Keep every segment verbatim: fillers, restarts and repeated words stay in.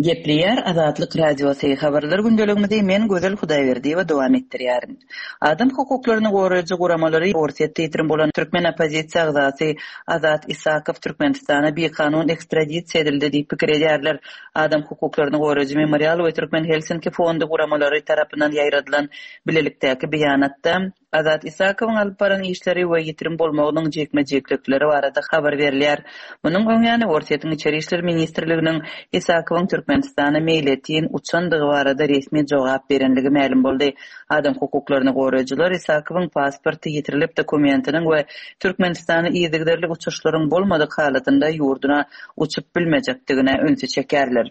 Gepleýär Azatlyk Radiosy habarlar gündeligimizi men Gözel Hudaýberdiýewa dowam etdirýärin. Adam hukuklaryny goraýjy guramalary Orsýetde ýitirim bolan türkmen oppozisiýa agzasy Azat Isakow Türkmenistana bikanun ekstradisiýa edildi diýip pikir edýärler. Adam hukuklaryny goraýjy Memorial we Türkmen Helsinki fondy guramalary tarapyndan ýaýradylan bilelikdäki beýanatda Azat Isakowyň alyp baran işleri we ýitirim bolmagynyň jikme-jiklikleri barada habar berilýär. Munuň öňýany Orsýetiň Içeri işler ministrliginiň Isakowyň Türkmenistana meýletin uçandygy barada resmi jogap berenligi mälim boldy. Adam hukuklaryny goraýjylar Isakowyň pasporty ýitirilip dokumentiniň we Türkmenistana yzygiderli uçuşlaryň bolmadyk halatynda ýurduna uçup bilmejekdigine ünsi çekerler.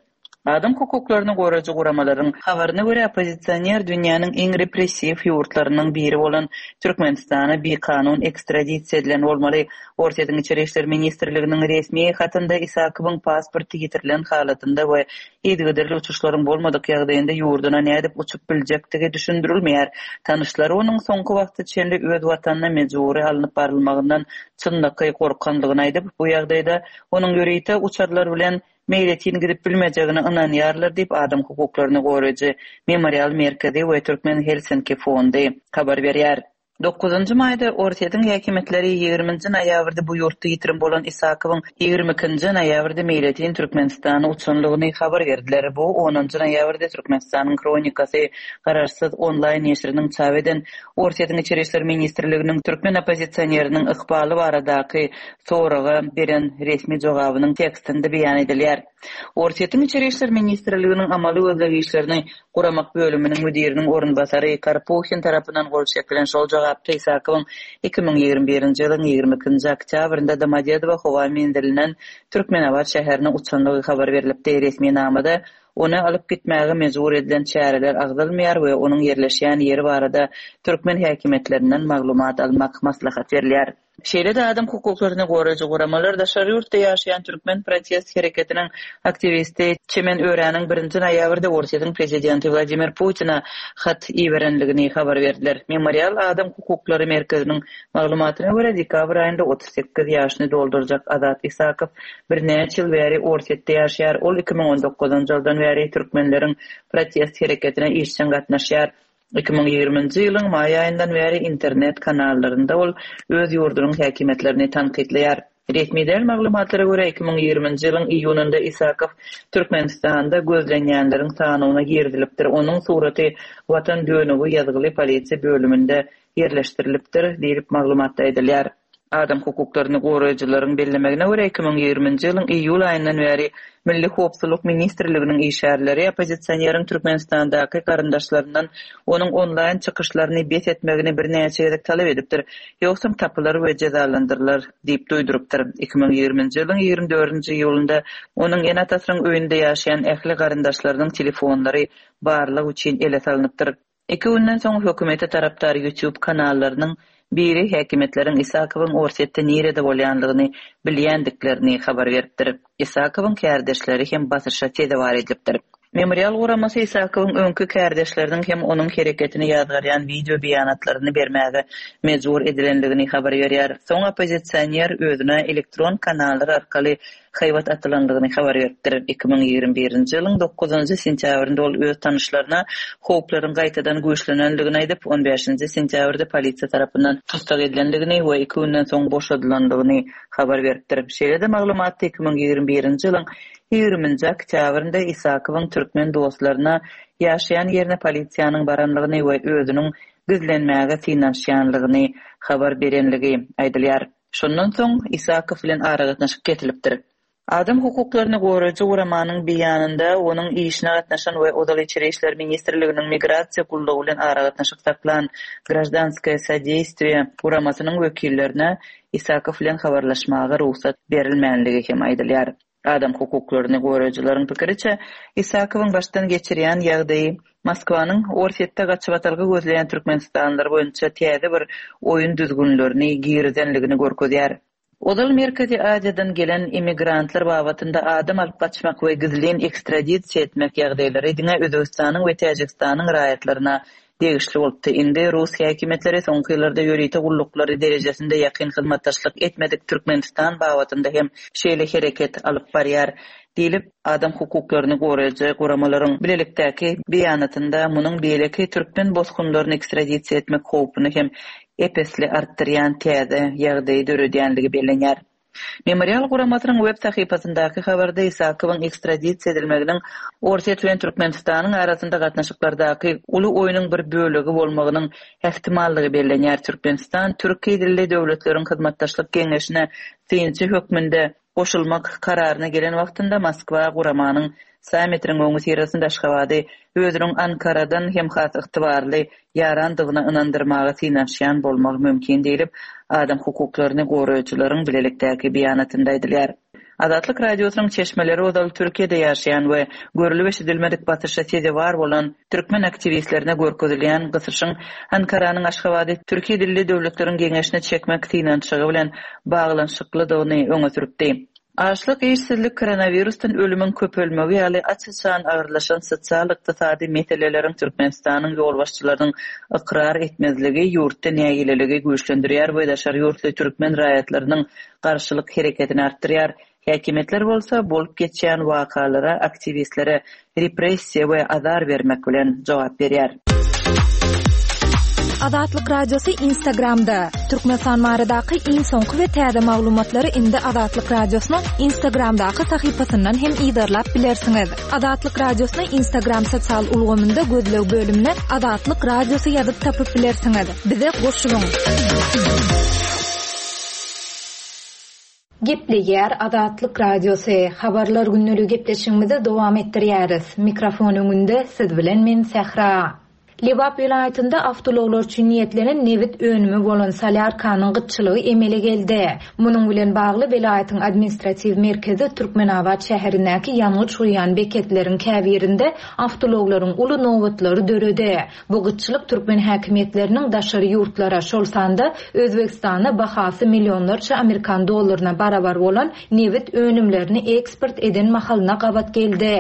Adam hukuklaryny goraýjy guramalaryň habaryna görä oppozisioner dünýäniň iň repressiw ýurtlarynyň biri bolan Türkmenistana bikanun ekstradisiýa edilen bolmaly. Orsýetiň Içeri işler ministrliginiň resmi hatynda Isakowyň pasporty ýitirilen halatynda we yzygiderli uçuşlaryň bolmadyk ýagdaýynda ýurduna nädip uçup biljekdigi düşündirilmeýär. Tanyşlary onuň soňky wagta çenli öz watanyna mejbury alnyp barylmagyndan çynlakaý gorkanlygyny aýdyp, bu ýagdaýda onuň ýörite uçarlar bilen meýletin gidip bilmejegine ynanýarlar diýip adam hukuklaryny goraýjy Memorial merkezi we Türkmen Helsinki fondy habar berýär. Dokuzynjy maýda Orsýetiň häkimiýetleri ýigriminji noýabrda bu ýurtda ýitirim bolan Isakowyň ýigrimi ikinji noýabrda meýletin Türkmenistana uçanlygyny habar berdiler. Bu onunjy noýabrda Türkmenistanyň Hronikasy garaşsyz onlaýn neşiriniň çap eden Orsýetiň Içeri işler ministrliginiň türkmen oppozisioneriniň ykbaly baradaky soraga beren resmi jogabynyň tekstinde beýan edilýär. Orsýetiň Içeri işler ministrliginiň amaly gözleg işlerini guramak bölüminiň müdiriniň orunbasary Karpuhin tarapyndan gol çekilen şol jogapda Isakowyň iki müň ýigrimi birinji ýylyň ýigrimi ikinji oktýabrynda Domodedowo howa menzilinden Türkmenabat şäherine uçanlygy habar berilipdi. Resminamada ony alyp gitmäge mejbur edilen çäreler agzalmaýar we onuň ýerleşýän ýeri barada türkmen häkimiýetlerinden maglumat almak maslahat berilýär. Şeýle-de adam hukuklaryny goraýjy guramalar daşary ýurtda ýaşaýan türkmen protest hereketiniň aktiwisti Çemen Öräniň birinji noýabrda Orsýetiň prezidenti Wladimir Putina hat iberenligini habar berdiler. Memorial adam hukuklary merkeziniň maglumatyna görä dekabr aýynda otuz sekiz ýaşyny doldurjak Azat Isakow birnäçe ýyl bäri Orsýetde ýaşaýar. Ol iki müň on dokuzynjy ýyldan bäri türkmenleriň protest hereketine işjeň gatnaşýar. Iki müň ýigriminji ýylyň maý aýyndan bäri internet kanallarynda ol öz ýurdunyň häkimiýetlerini tankytlaýar. Resmi däl maglumatlara görä iki müň ýigriminji ýylyň iýunynda Isakow Türkmenistanda gözlenýänleriň sanyna girizilipdir. Onuň suraty Watan dönügi ýazgyly polisiýa bölüminde ýerleşdirilipdir diýlip maglumatda aýdylýar. Adam hukuklaryny goraýjylaryň bellemegine görä iki müň ýigriminji ýylyň iýul aýyndan bäri Milli howpsuzlyk ministrliginiň işgärleri oppozisioneriň Türkmenistandaky garyndaşlaryndan onuň onlaýn çykyşlaryny bes etmegini birnäçe gezek talap edipdir. Ýogsam tapylar we jezalandyrylar diýip duýdurypdyr. Iki müň ýigriminji ýylyň ýigrimi dördünji iýulynda onuň ene-atasynyň öýünde ýaşaýan ähli garyndaşlarynyň telefonlary barlag üçin ele salnypdyr. Iki günden soň hökümete tarapdar YouTube kanallarynyň biri häkimiýetleriň Isakowyň Orsýetde nirede bolýanlygyny bilýändiklerini habar beripdir. Isakowyň kärdeşleri hem basyşa sezewar edilipdir. Memorial guramasy Isakowyň öňki kärdeşleriniň hem onuň hereketini ýazgarýan wideo beýanatlaryny bermäge mejbur edilenligini habar berýär. Soň oppozisioner özüne elektron kanallar arkaly haýbat atylanlygyny habar beripdir. Iki müň ýigrimi birinji ýylyň dokuzynjy sentýabrynda ol öz tanyşlaryna howplaryň gaýtadan güýçlenenligini aýdyp, on bäşinji sentýabrda polisiýa tarapyndan tussag edilenligini we iki günden soň boşadylanlygyny habar beripdir. Şeýle-de maglumatda iki müň ýigrimi birinji ýylyň ýigriminji oktýabrynda Isakowyň türkmen dostlaryna ýaşaýan ýerine polisiýanyň baranlygyny we özüniň gizlenmäge synanyşýanlygyny habar berenligi aýdylýar. Şondan soň Isakow bilen aragatnaşyk kesilipdir. Adam hukuklaryny goraýjy guramanyň beýanynda onuň işine gatnaşan we ozal Içeri işler ministrliginiň migrasiýa gullugy bilen aragatnaşyk saklan Grajdanskoye sodeýstwiye guramasynyň wekillerine Isakow bilen habarlaşmaga rugsat berilmänligi hem aýdylýar. Adam hukuklaryny goraýjylaryň pikiriçe Isakowyň başdan geçirýän ýagdaýy Moskwanyň Orsýetde gaçybatalga gözleýän Türkmenistanlylar boýunça täze bir oýun düzgünlerini girizenligini görkezýär. Ozal Merkezi Aziýadan gelen immigrantlar babatynda adam alyp gaçmak we gizlin ekstradisiýa etmek ýagdaýlary diňe Özbegistanyň we Täjigistanyň raýatlaryna degişli bolupdy. Indi rus häkimiýetleri soňky ýyllarda ýörite gulluklary derejesinde ýakyn hyzmatdaşlyk etmedik Türkmenistan babatynda hem şeýle hereket alyp barýar diýlip, adam hukuklaryny goraýjy guramalaryň bilelikdäki beýanatynda munuň beýleki türkmen bosgunlaryny ekstradisiýa etmek howpuny hem ep-esli artdyrýan täze ýagdaýy döredýänligi bellenýär. Memorial guramasynyň web sahypasyndaky habarda Isakowyň ekstradisiýa edilmeginiň Orsýet bilen Türkmenistanyň arasynda gatnaşyklardaky uly oýnuň bir bölegi bolmagynyň ähtimallygy bellenýär. Türkmenistan türki dilli döwletleriň hyzmatdaşlyk geňeşine synçy hökmünde goşulmak kararyna gelen wagtynda Moskwa guramanyň sammitiniň öňüsyrasynda Aşgabady özüniň Ankaradan hem has ygtybarly ýarandygyna ynandyrmaga synanyşýan bolmagy mümkin diýlip, adam hukuklaryny goraýjylaryň bilelikdäki beýanatynda aýdylýar. Azatlyk Radiosynyň çeşmeleri ozal Türkiýede ýaşaýan we görlüp-eşidilmedik basyşa sezewar bolan türkmen aktiwistlerine görkezilýän gysyşyň Ankaranyň Aşgabady türki dilli döwletleriň geňeşine çekmek synanyşygy bilen baglanyşyklydygyny öňe sürüpdi. Açlyk, işsizlik, koronawirusdan ölümiň köpelmegi ýaly aç-açan agyrlaşan sosial-ykdysady meseleleriň Türkmenistanyň ýolbaşçylarynyň ykrar etmezligi ýurtda nägileligi güýçlendirýär we daşary ýurtly türkmen raýatlarynyň garşylyk hereketini artdyrýar. Häkimiýetler bolsa bolup geçýän wakalara aktiwistlere repressiýa we azar bermek bilen jogap berýär. Azatlyk Radiosy Instagramda. Türkmenistan baradaky iň soňky we täze maglumatlary indi Azatlyk Radiosynyň Instagramdaky sahypasyndan hem yzarlap bilersiňiz. Azatlyk Radiosyny Instagram sosial ulgamynda gözleg bölümine Azatlyk Radiosy ýazyp tapyp bilersiňiz. Bize goşulyň. Gepleýär Azatlyk Radiosy. Habarlar günlügi gepleşigimizi dowam etdirýäris. Mikrofon öňünde siz bilen men Sähra. Lebap welaýatynda awtoulaglar üçin niýetlenen nebit önümi bolan solýarkanyň gytçylygy emele geldi. Munuň bilen bagly welaýatyň administratiw merkezi Türkmenabat şäherindäki ýangyç guýýan beketleriň käbirinde awtoulaglaryň uly nobatlary döredi. Bu gytçylyk türkmen häkimiýetleriniň daşary ýurtlara, şol sanda Özbegistana bahasy millionlarça amerikan dollaryna barabar bolan nebit önümlerini eksport eden mahalyna gabat geldi.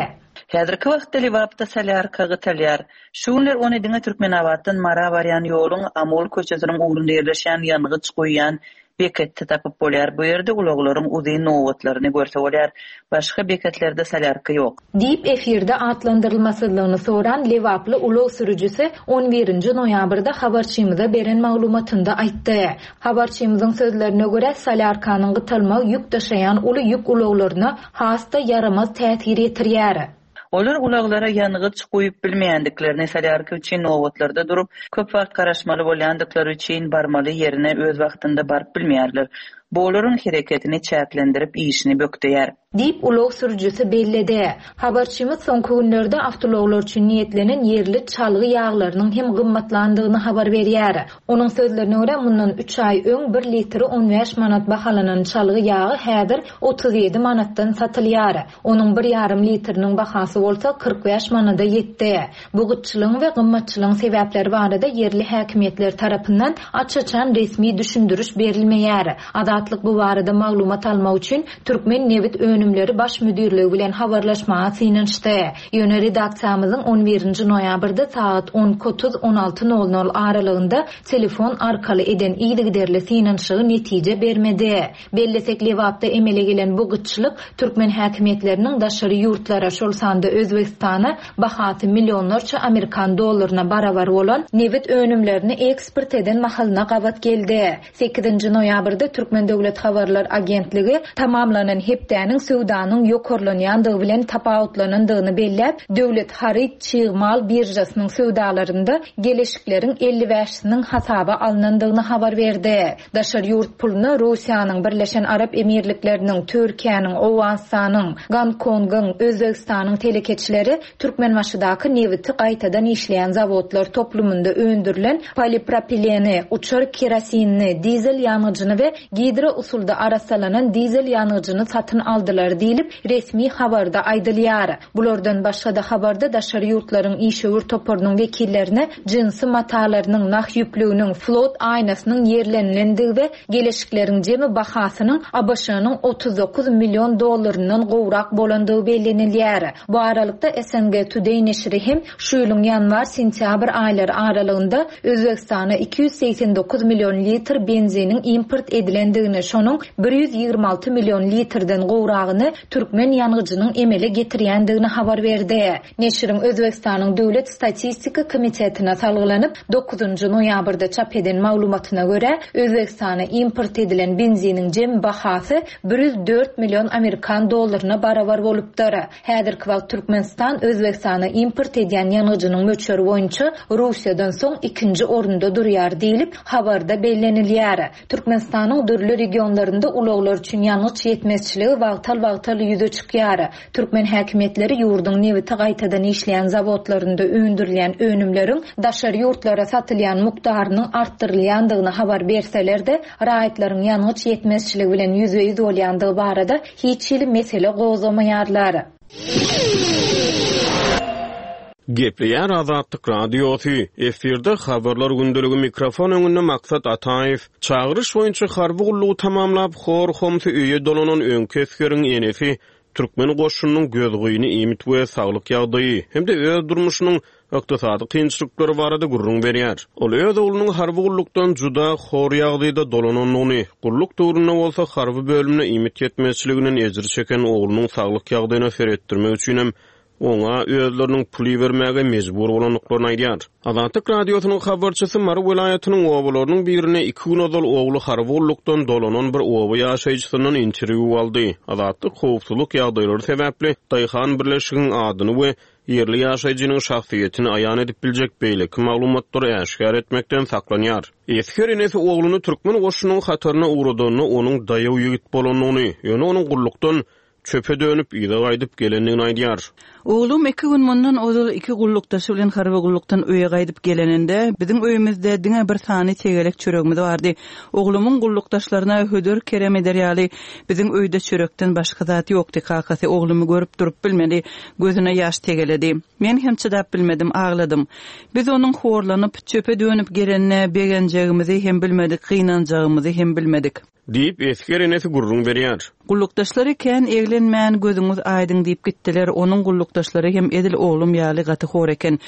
Häzirki wagtda Lebapda solýarka gytalýar. Şu günler ony diňe Türkmenabatdan Mara barýan ýoluň Amul köçesiniň ugrunda ýerleşýän ýangyç guýýan beketde tapyp bolýar. Bu ýerde ulaglaryň uzyn nobatlaryny görse bolýar. Başga beketlerde solýarka ýok. Diýip efirde atlandyrylmasyzlygyny soran Lebaply ulag sürüjisi on birinji noýabrda habarçymyza beren maglumatynda aýtdy. Habarçymyzyň sözlerine görä solýarkanyň gytalmagy ýük daşaýan uly ýük ulaglaryna has-da ýaramaz täsir ýetirýär. Olar ulaglara ýangyç guýup bilmeýändiklerini, solýarka üçin nobatlarda durup, köp wagt garaşmaly bolýandyklary üçin barmaly ýerine öz wagtynda baryp bilmeýärler. Bu olaryň hereketini çäklendirip işini bökdeýär. Diýip ulag sürüjisi belledi. Habarçymyz soňky günlerde awtoulaglar üçin niýetlenen ýerli çalgy ýaglarynyň hem gymmatlandygyny habar berýär. Onuň sözlerine görä mundan üç aý öň bir litri on bäş manat bahalanan çalgy ýagy häzir otuz ýedi manatdan satylýar. Onuň bir ýarym litriniň bahasy bolsa kyrk bäş manada ýetdi. Bu gytçylygyň we gymmatçylygyň sebäpleri barada ýerli häkimiýetler tarapyndan aç-açan resmi düşündiriş berilmeýär. Azatlyk bu barada maglumat almak üçin Türkmen nebit önümleri baş müdirligi bilen habarlaşmaga synanyşdy. Ýöne redaksiýamyzyň on birinji noýabrda saat on otuz on alty nol nol aralygynda telefon arkaly eden yzygiderli synanyşygy netije bermedi. Bellesek Lebapda emele gelen bu gytçylyk türkmen häkimiýetleriniň daşary ýurtlara, şol sanda Özbegistana bahasy millionlarça amerikan dollaryna barabar bolan nebit önümlerini eksport eden mahalyna gabat geldi. Sekizinji noýabrda Türkmen Döwlet Habarlar Agentligi tamamlanan hepdäniň söwdanyň ýokarlanýandygy bilen tapawutlanandygyny belläp, Döwlet haryt çig mal birjasynyň söwdalarynda geleşikleriň elli bäşisiniň hasaba alnandygyny habar berdi. Daşary ýurt puluna Russiýanyň, Birleşen Arap Emirlikleriniň, Türkiýäniň, Owganystanyň, Gongkongyň, Özbegistanyň telekeçileri Türkmenbaşydaky nebiti gaýtadan işleýän zawodlar toplumynda öndürilen polipropileni, uçar kerosinini, dizel ýangyjyny we gidro Gidro usulda arassalanan dizel ýangyjyny satyn aldylar diýlip, resmi habarda aýdylýar. Bulardan başga-da habarda daşary ýurtlaryň işewür toparynyň wekillerine jinsi matalarynyň, nah ýüplüginiň, flot aýnasynyň ýerlenilendigi we geleşikleriň jemi bahasynyň A B Ş-nyň otuz dokuz million dollaryndan gowrak bolandygy bellenilýär. Bu aralykda S N G Today neşiri hem şu ýylyň ýanwar-sentýabr aýlary aralygynda Özbegistana iki ýüz segsen dokuz million litr benziniň import edilendigini, şonuň bir ýüz ýigrimi alty million litrden gowragyny türkmen ýangyjynyň emele getirýändigini habar berdi. Neşiriň Özbegistanyň Döwlet statistika komitetine salgylanyp, dokuzynjy noýabrda çap eden maglumatyna görä, Özbegistana import edilen benziniň jem bahasy bir ýüz dört million amerikan dollaryna barabar bolupdyr. Häzirki wagt Türkmenistan Özbegistana import edýän ýangyjynyň möçberi boýunça Russiýadan soň ikinji orunda durýar diýlip, habarda bellenilýär. Türkmenistanyň dürli regionlarynda ulaglar üçin ýangyç ýetmezçiligi wagtal-wagtal ýüze çykýar. Türkmen häkimiýetleri ýurduň nebiti gaýtadan işleýän zawodlarynda öndürilýän önümleriň daşary ýurtlara satylýan mukdarynyň artdyrylýandygyny habar berseler-de, raýatlaryň ýangyç ýetmezçiligi bilen ýüzbe-ýüz bolýandygy barada hiç hili mesele gozgamaýarlar. Gepleýär Azatlyk Radiosy. Efirde habarlar gündeligi, mikrofon öňünde Maksat Ataýew. Çagyryş boýunça harby gullugy tamamlap, hor-homsy öýe dolanan öňki esgeriň enesi türkmen goşunynyň gözgyny iýmit we saglyk ýagdaýy hem-de öz durmuşynyň ykdysady kynçylyklary barada gürrüň berýär. Ol öz oglunyň harby gullukdan juda hor ýagdaýda dolanandygyny, gulluk döwründe bolsa harby bölümde iýmit ýetmezçiliginden ejir çeken oglunyň saglyk ýagdaýyna seretdirmek üçinem oňa özleriniň pul bermäge mejbur bolandyklaryny aýdýar. Azatlyk Radiosynyň habarçysy Mary welaýatynyň obalarynyň birine iki gün ozal ogly harby gullukdan dolanan bir oba ýaşaýjysyndan interwýu aldy. Azatlyk howpsuzlyk ýagdaýlary sebäpli Daýhan birleşiginiň adyny we ýerli ýaşaýjynyň şahsyýetini aýan edip biljek beýleki maglumatlary äşgär etmekden saklanýar. Esger enesi ogluny türkmen goşunynyň hataryna ugradanda onuň daýaw ýigit bolandygyny, ýöne onuň gullukdan çöpe dönüp yza gaýdyp gelendigini aýdýar. Oglum iki gün mundan ozal iki gullukdaşy bilen harby gullukdan öýe gaýdyp geleninde biziň öýümizde diňe bir sany tegelek çöregimiz bardy. Oglumyň gullukdaşlaryna hödür kerem eder ýaly biziň öýde çörekden başga zat ýokdy. Kakasy oglumy görüp durup bilmedi, gözüne ýaş tegeledi. Men hem çydap bilmedim, agladym. Biz onuň horlanyp çöpe dönüp gelenine begenjegimizi hem bilmedik, gynanjagymyzy hem bilmedik. Diýip esger enesi gürrüň berýär. Gullukdaşlary kän eglenmän gözüňiz aýdyň diýip gitdiler. Onuň gullukdaşlary hem edil oglum ýaly gaty hor eken.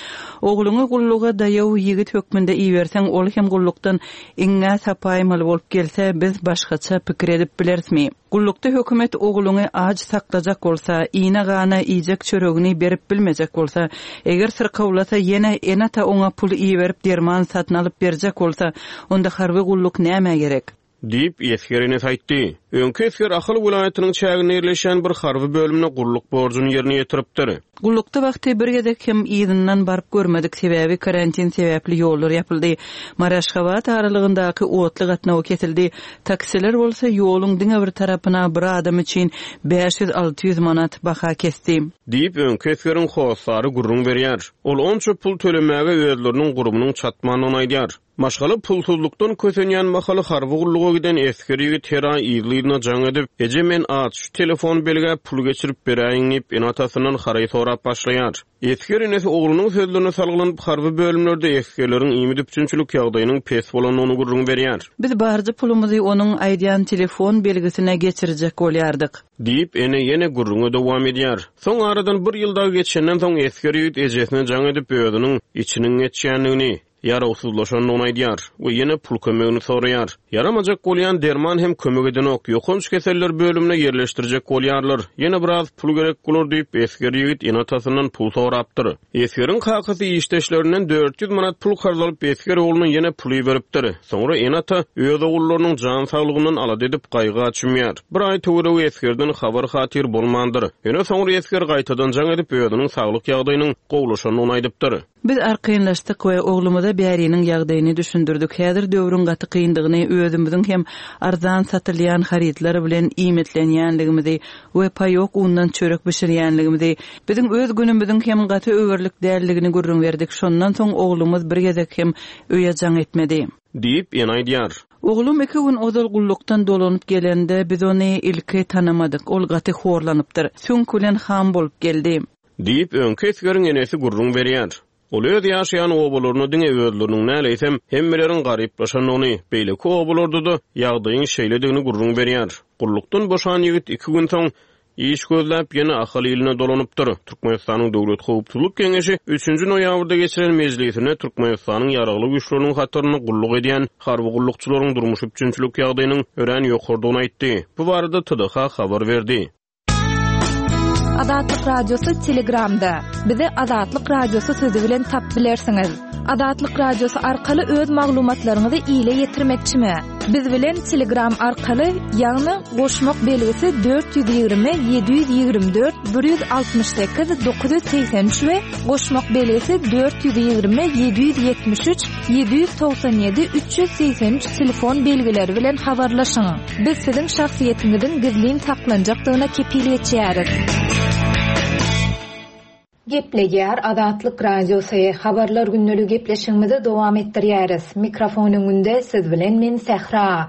Ogluňy gulluga daýaw ýigit hökmünde iberseň, ol hem gullukdan iňňä sapaýmaly bolup gelse, biz başgaça pikir edip bilerismi? Gullukda hökümet ogluňy aç saklajak bolsa, iýne gana iýjek çöregini berip bilmejek bolsa, eger syrkawlasa ýene ene-ata oňa pul iberip derman satyn alyp berjek bolsa, onda harby gulluk nämä gerek? Diýip esger enesi aýtdy. Öňki esger Ahal welaýatynyň çäginde ýerleşen bir harby bölümde gulluk borjuny ýerine ýetiripdir. Gullukda wagty bir gezek hem yzyndan baryp görmedik, sebäbi karantin sebäpli ýollar ýapyldy. Mary-Aşgabat aralygyndaky otly gatnawy kesildi. Taksiler bolsa ýoluň diňe bir tarapyna bir adam üçin bäş ýüz alty ýüz manat baha kesdi. Diýip öňki esgeriň hossary gürrüň berýär. Ol onça pul tölemäge özleriniň gurumynyň çatmandygyny aýdýar. Maşgala pulsuzlukdan kösenýän mahaly harby gulluga giden esger ýigit her aý yzly-yzyna jaň edip, Eje men aç, şu telefon belgä pul geçirip beräýiň diýip ene-atasyndan haraý sorap başlaýar. Esger enesi oglunyň sözlerine salgylanyp harby bölümlerde esgerleriň iýmit üpjünçilik ýagdaýynyň pes bolandygyny gürrüň berýär. Biz barjy pulumyzy onuň aýdýan telefon belgisine geçirjek bolýardyk. Diýip ene ýene gürrüňe dowam edýär. Soň aradan bir ýyl dagy geçenden soň esger ýigit ejesine jaň edip özüniň içiniň geçýändigini, ýarawsyzlaşandygyny aýdýar we ýene pul kömegini soraýar. Ýaramajak bolýan derman hem kömek edenok, ýokanç keseller bölümine ýerleşdirjek bolýarlar. Ýene biraz pul gerek bolar diýip esger ýigit ene-atasyndan pul sorapdyr. Esgeriň kakasy işdeşlerinden dört ýüz manat pul karz alyp esger ogluna ýene pul beripdir. Soňra ene-ata öz ogullarynyň jan saglygyndan alada edip gaýgy çümýär. Bir aý töweregi esgerden habar hatyr bolmandyr. Ýöne soňra esger gaýtadan jaň edip özüniň saglyk ýagdaýynyň gowlaşandygyny aýdypdyr. Biz arkaýynlaşdyk we oglumyza bäriniň ýagdaýyny düşündirdik. Häzir döwrüň gaty kyndygyny, özümiziň hem arzan satylýan harytlar bilen iýmitlenýänligimizi we paýok undan çörek bişirýänligimizi, biziň öz günümiziň hem gaty öwerlik däldigini gürrüň berdik. Şondan soň oglumyz bir gezek hem öýe jaň etmedi. Diýip ene aýdýar. Oglum iki gün ozal gullukdan dolanyp gelende biz ony ilki tanamadyk. Ol gaty horlanypdyr. Süňk bilen ham bolup geldi. Diýip, öňki esgeriň enesi gürrüň berýär. Ol öz ýaşaýan obalaryna diňe özleriniň däl, eýsem, hemmeleriň garyplaşandygyny, beýleki obalarda-da ýagdaýyň şeýledigini gürrüň berýär. Gullukdan boşan ýigit iki gün soň iş gözläp ýene Ahal iline dolanypdyr. Türkmenistanyň Döwlet howpsuzlyk geňeşi üçünji noýabrda geçiren mejlisinde Türkmenistanyň ýaragly güýçleriniň hatarynda gulluk edýän harby gullukçylaryň durmuş üpjünçilik ýagdaýynyň örän ýokardygyny aýtdy. Bu barada T D H habar berdi. Azatlyk Radiosy Telegramda. Bizi Azatlyk Radiosy sözi bilen tapyp bilersiňiz. Azatlyk Radiosy arkaly öz maglumatlaryňyzy ile ýetirmekçimi? Biz bilen Telegram arkaly, ýagny goşmak belgisi dört ýüz ýigrimi ýedi ýüz ýigrimi dört bir ýüz altmyş sekiz dokuz ýüz segsen üç we goşmak belgisi dört ýüz ýigrimi ýedi ýüz ýetmiş üç ýedi ýüz togsan ýedi üç ýüz segsen üç telefon belgileri bilen habarlaşyň. Biz siziň şahsyýetiňiziň gizlin saklanjakdygyna kepil geçýäris. Gepleýär Azatlyk Radiosy. Habarlar gündeligi gepleşigimizi dowam etdirýäris. Mikrofon öňünde siz bilen men Sähra.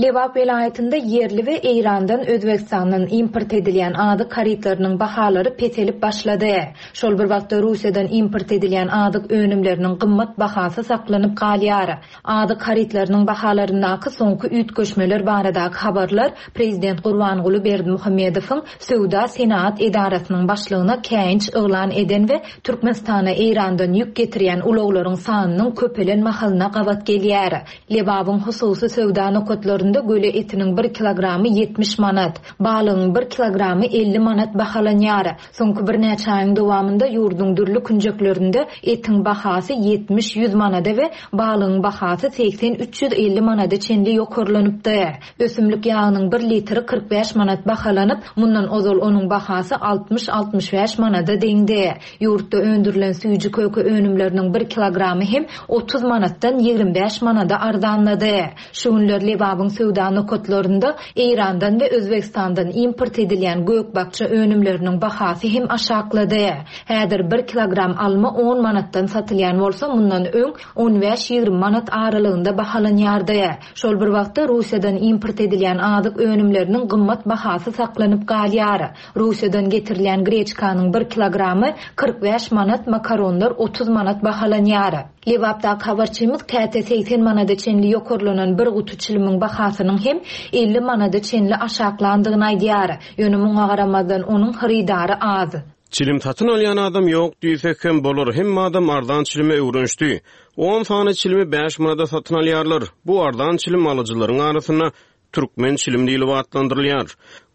Lebap welaýatynda ýerli we Eýrandan, Özbegistandan import edilýän azyk harytlarynyň bahalary peselip başlady. Şol bir wagtda Russiýadan import edilýän azyk önümleriniň gymmat bahasy saklanyp galýar. Azyk harytlarynyň bahalaryndaky soňky üýtgeşmeler baradaky habarlar Prezident Gurbanguly Berdimuhamedowyň Söwda senagat edarasynyň başlygyna käýinç yglan eden we Türkmenistana Eýrandan ýük getirýän ulaglaryň sanynyň köpelen mahalyna gabat gelýär. Lebabyň hususy söwda nokatlarynda göle etiniň bir kilogramy ýetmiş manat, balygyň bir kilogramy elli manat bahalanýar. Soňky birnäçe aýyň dowamynda ýurduň dürli künjeklerinde etiň bahasy ýetmiş-ýüz manada we balygyň bahasy segsen-üç ýüz elli manada çenli ýokarlanypdy. Ösümlik ýagynyň bir litri kyrk bäş manat bahalanyp, mundan ozal onuň bahasy altmyş-altmyş bäş manada deňdi. Ýurtda öndürilen süýji köke önümleriniň bir kilogramy hem otuz manatdan ýigrimi bäş manada arzanlady. Şu günler Lebabyň söwda nokatlarynda Eýrandan we Özbegistandan import edilýän gök-bakja önümleriniň bahasy hem aşaklady. Häzir bir kilogram alma on manatdan satylýan bolsa, mundan öň on bäş-ýigrimi manat aralygynda bahalanýardy. Şol bir wagtda Russiýadan import edilýän azyk önümleriniň gymmat bahasy saklanyp galýar. Russiýadan getirilýän greçkanyň bir kilogramy kyrk bäş manat, makaronlar otuz manat bahalanýar. Lebapdaky habarçymyz käte segsen manada çenli ýokarlanan bir guty çilimiň bahasynyň hem elli manada çenli aşaklandygyny aýdýar. Ýöne muňa garamazdan onuň hyrydary az. Çilim satyn alýan adam ýok diýsek hem bolar, hem adam arzan çilime öwrenişdi. On sany çilimi bäş manada satyn alýarlar. Bu arzan çilim alyjylaryň arasynda türkmen çilim diýlip atlandyrylýar.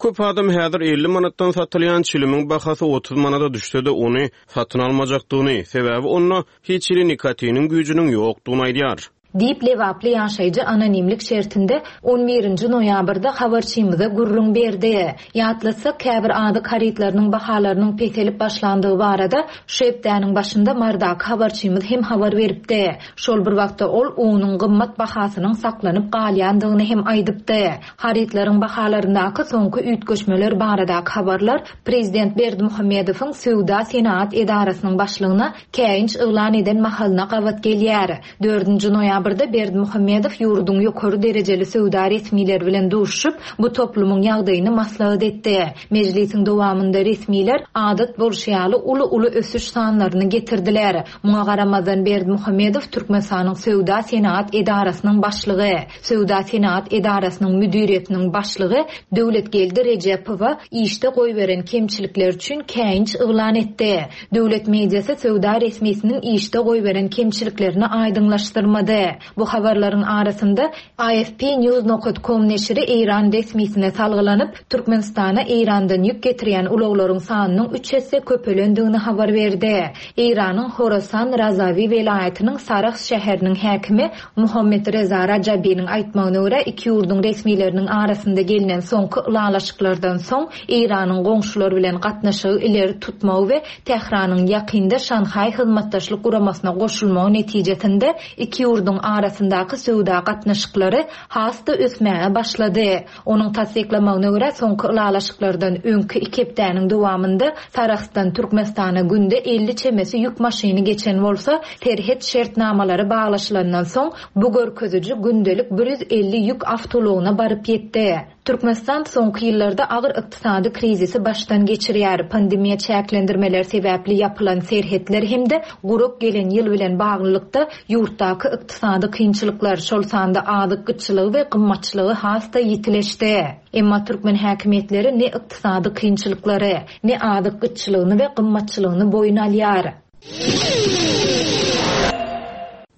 Köp adam häzir elli manatdan satylýan çilimiň bahasy otuz manada düşse-de ony satyn almajakdygyny, sebäbi onda hiç hili nikotiniň güýjüniň ýokdugyny aýdýar. Diýip Lebaply ýaşaýjy anonimlik şertinde on birinji noýabrda habarçymyza gürrüň berdi. Ýatlatsak, käbir azyk harytlarynyň bahalarynyň peselip başlandygy barada şu hepdäniň başynda Mardaky habarçymyz hem habar beripdi. Şol bir wagtda ol unuň gymmat bahasynyň saklanyp galýandygyny hem aýdypdy. Harytlaryň bahalaryndaky soňky üýtgeşmeler baradaky habarlar Prezident Berdimuhamedowyň Söwda senagat edarasynyň başlygyna käýinç yglan eden mahalyna gabat gelýär. Dördünji noýabrda Berdimuhamedow ýurduň ýokary derejeli söwda resmileri bilen duşup, bu toplumyň ýagdaýyny maslahat etdi. Mejlisiň dowamynda resmiler adat bolşy ýaly uly-uly ösüş sanlaryny getirdiler. Muňa garamazdan Berdimuhamedow Türkmenistanyň Söwda senagat edarasynyň başlygy, Söwda senagat edarasynyň müdiriýetiniň başlygy Döwletgeldi Rejepowa işde goýberen kemçilikler üçin käýinç yglan etdi. Döwlet mediasy söwda resmisiniň işde goýberen kemçiliklerini aýdyňlaşdyrmady. Bu habarlaryň arasynda A F P News nokta com neşiri Eýran resmisine salgylanyp, Türkmenistana Eýrandan ýük getirýän ulaglaryň sanynyň üç esse köpelendigini habar berdi. Eýranyň Horasan Razawi welaýatynyň Sarahs şäheriniň häkimi Muhammed Reza Rajabiniň aýtmagyna görä iki ýurduň resmileriniň arasynda gelinen soňky ylalaşyklardan soň Eýranyň goňşular bilen gatnaşygy ileri tutmagy we Tähranyň ýakynda Şanhaý hyzmatdaşlyk guramasyna goşulmagy netijesinde iki ýurduň arasyndaky söwda gatnaşyklary has-da ösmäge başlady. Onuň tassyklamagyna görä, soňky ylalaşyklardan öňki iki hepdäniň dowamynda Sarahsdan Türkmenistana günde elli çemesi ýük maşyny geçen bolsa, serhet şertnamalary baglaşylandan soň bu görkeziji gündelik bir ýüz elli ýük awtoulagyna baryp ýetdi. Türkmenistan soňky ýyllarda agyr ykdysady krizisi başdan geçirýär. Pandemiýa çäklendirmeleri sebäpli ýapylan serhetler hem-de gurak gelen ýyl bilen baglylykda ýurtdaky ykdysady kynçylyklar, şol sanda azyk gytçylygy we gymmatçylygy has-da ýitileşdi. Emma türkmen häkimiýetleri ne ykdysady kynçylyklary, ne azyk gytçylygyny we gymmatçylygyny boýun alýar.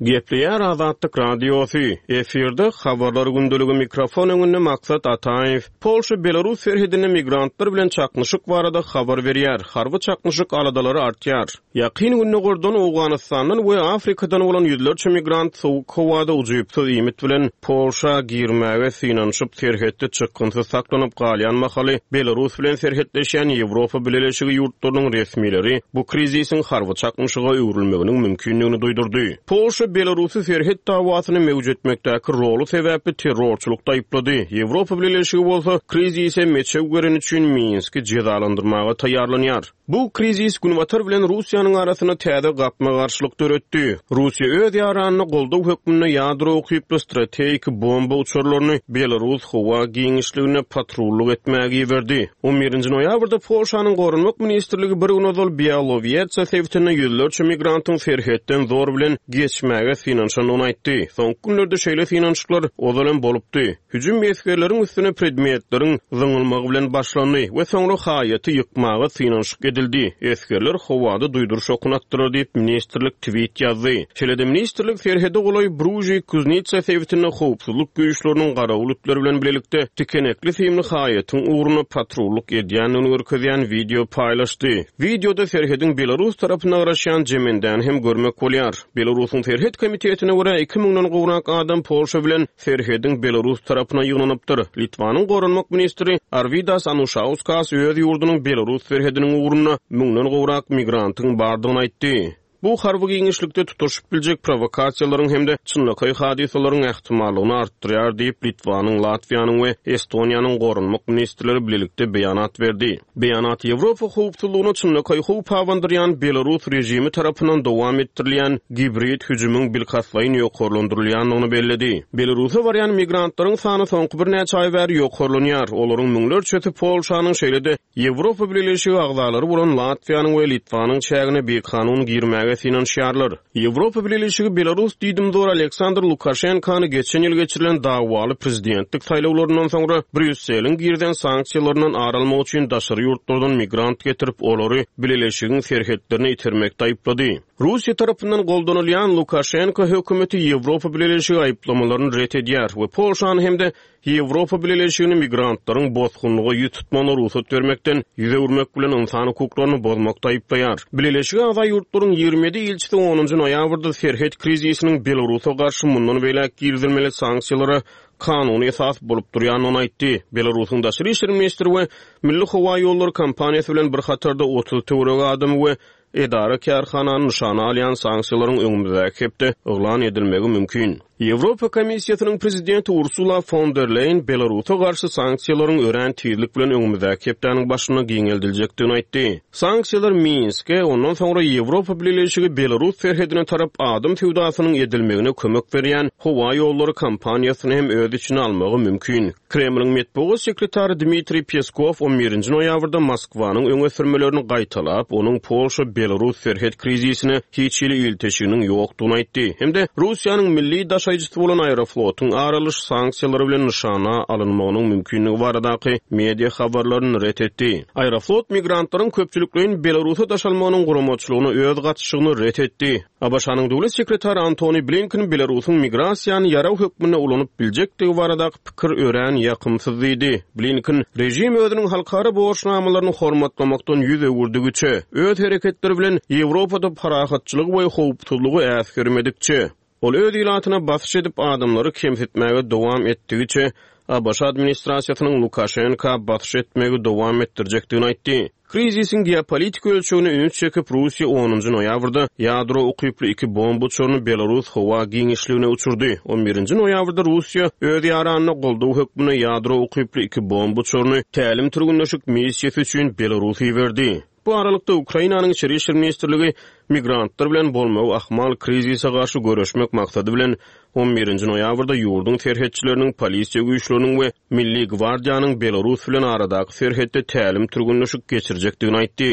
Gepleýär Azatlyk Radiosy. Efirde Habarlar gündeligi, mikrofon öňünde Maksat Ataýew. Polşa Belarus serhedinde migrantlar bilen çaknyşyk barada habar berýär. Harby çaknyşyk aladalary artýar. Ýakyn Gündogardan, Owganystandan we Afrikadan bolan ýüzlerçe migrant sowuk howada ujypsyz iýmit bilen Polşa girmäge synanyşyp, serhetde çykgynsyz saklanyp galýan mahaly Belarus bilen serhetleşýän Ýewropa Bileleşigi ýurtlarynyň resmileri bu krizisiň harby çaknyşyga öwrülmeginiň mümkindigini duýdurdy. Polşa Belarusy serhet dawasyny möwjetmekdäki roly sebäpli terrorçylykda aýyplady. Ýewropa Bileleşigi bolsa krizise meçew beren üçin Minski jezalandyrmaga taýýarlanýar. Bu krizis Günbatar bilen Russiýanyň arasynda täze gapma-garşylyk döretdi. Russiýa öz ýaranyna goldaw hökmünde ýadro ukyply strategik bomba uçarlaryny Belarus howa giňişliginde patrullyk etmäge iberdi. On birinji noýabrda Polşanyň Goranmak ministrligi bir gün ozal Białowieża sebitinde ýüzlerçe migrantyň serhetden zor bilen geçmäge synanyşandygyny aýtdy. Soňky günlerde şeýle synanyşyklar ozal hem bolupdy. Hüjüm esgerleriň üstüne predmetleriň zyňylmagy bilen başlandy we soňra haýaty ýykmaga synanyşyk edildi. Esgerler howada duýduryş okuny atdylar diýip, ministrlik tweet ýazdy. Şeýle-de ministrlik serhede golaý Bruži-Kuznitsa sebitinde howpsuzlyk güýçleriniň garawul itleri bilen bilelikde tikenekli simli haýatyň ugruna patrullyk edýändigini görkezýän wideo paýlaşdy. Wideoda serhediň Belarus tarapyna garaşýan jemendäni hem görmek bolýar. Belarusyň serhet komitetine görä, iki müňden gowrak adam Polşa bilen serhediň Belarus tarapyna ýygnanypdyr. Litwanyň goranmak ministri Arwidas Anuşauskas öz ýurdunyň Belarus serhediniň ugrunda müňden gowrak migrantyň bardygyny aýtdy. Bu harby giňişlikde tutaşyp biljek prowokasiýalaryň hem-de çynlakaý hadysalaryň ähtimallygyny artdyrýar diýip, Litwanyň, Latwiýanyň we Estoniýanyň goranmak ministrleri bilelikde beýanat berdi. Beýanat Ýewropa howpsuzlygyna çynlakaý howp abandyrýan Belarus režimi tarapyndan dowam etdirilýän gibrid hüjümiň bilkastlaýyn ýokarlandyrylýandygyny belledi. Belarusa barýan migrantlaryň sany soňky birnäçe aý bäri ýokarlanýar. Olaryň müňlerçesi Polşanyň, şeýle-de Ýewropa Bileleşigi agzalary bolan Latwiýanyň we Litwanyň çägine bikanun girmäge synanyşýarlar. Ýewropa Bileleşigi Belarus diýdimzor Aleksandr Lukaşenkany geçen ýyl geçirilen dawaly prezidentlik saýlawlaryndan soňra Brýusseliň girizen sanksiýalaryndan ar almak üçin daşary ýurtlardan migrant getirip, olary Bileleşigiň serhetlerine itermekde aýyplady. Russiýa tarapyndan goldanylýan Lukaşenko hökümeti Ýewropa Bileleşigi aýyplamalaryny ret edýär we Polşany hem-de Ýewropa Bileleşigini migrantlaryň bosgunlyga ýüz tutmagyna rugsat bermekden ýüz öwürmek bilen ynsan hukuklaryny bozmakda aýyplaýar. Bileleşige agza ýurtlaryň ýigrimi ýedi ilçisi onunjy noýabrda serhet krizisiniň Belarusa garşy mundan beýläk girizilmeli sanksiýalara kanuny esas bolup durýandygyny aýtdy. Belarusyň daşary işler ministri we Milli howa ýollary kompaniýasy bilen bir hatarda otuz töweregi adamy we edara kärhanany nyşana alýan sanksiýalaryň öňümizdäki hepde yglan edilmegi mümkin. Ýewropa Komissiýasynyň prezidenti Ursula fon der Leýen Belarusa garşy sanksiýalaryň örän tizlik bilen öňümizdäki hepdäniň başynda giňeldiljekdigini aýtdy. Sanksiýalar Minske, ondan soňra Ýewropa Bileleşigi Belarus serhedine tarap adam söwdasynyň edilmegine kömek berýän howa ýollary kompaniýasyny hem öz içine almagy mümkin. Kremliň metbugat sekretary Dmitriý Peskow on birinji noýabrda Moskwanyň öňe sürmelerini gaýtalap, onuň Polşa-Belarus serhet krizisine hiç hili ilteşiginiň ýokdugyny aýtdy hem-de Russiýanyň milli daşaýjysy bolan Aeroflotyň aralyş sanksiýalary bilen nyşana alynmagynyň mümkinligi baradaky media habarlaryny ret etdi. Aeroflot migrantlaryň köpçülikleýin Belarusa daşalmagynyň guramaçylygyna öz gatyşygyny ret etdi. A B Ş-nyň döwlet sekretary Antony Blinken Belarusyň migrasiýany ýarag hökmünde ulanyp biljekdigi baradaky pikir örän ýakymsyz diýdi. Blinken režim özüniň halkara borçnamalaryny hormatlamakdan ýüz öwürdügiçe, öz hereketleri bilen Ýewropada parahatçylygy we howpsuzlygy äsgermedikçe, ol öz ilatyna basyş edip adamlary kemsitmäge dowam etdigiçe, A B Ş administrasiýasynyň Lukaşenka basyş etmegi dowam etdirjekdigini aýtdy. Krizisiň geopolitik ölçegine üns çekip, Russiýa onunjy noýabrda ýadro ukyply iki bomba uçaryny Belarus howa giňişligine uçurdy. On birinji noýabrda Russiýa öz ýaranyna goldaw hökmünde ýadro ukyply iki bomba uçaryny tälim-türgenleşik missiýasy üçin Belarusa iberdi. Bu aralykda, Ukrainanyň Içeri işler ministrligi migrantlar bilen bolmagy ahmal krizise garşy göreşmek maksady bilen, on birinji noýabrda ýurduň serhetçileriniň, polisiýa güýçleriniň we Milli gwardiýanyň Belarus bilen aradaky serhetde tälim-türgenleşik geçirjekdigini aýtdy.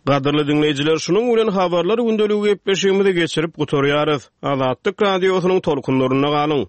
Gadyrly diňleýjiler, şunuň bilen Habarlar gündeligi gepleşigimizi geçirip gutarýarys. Azatlyk Radiosynyň tolkunlarynda galyň!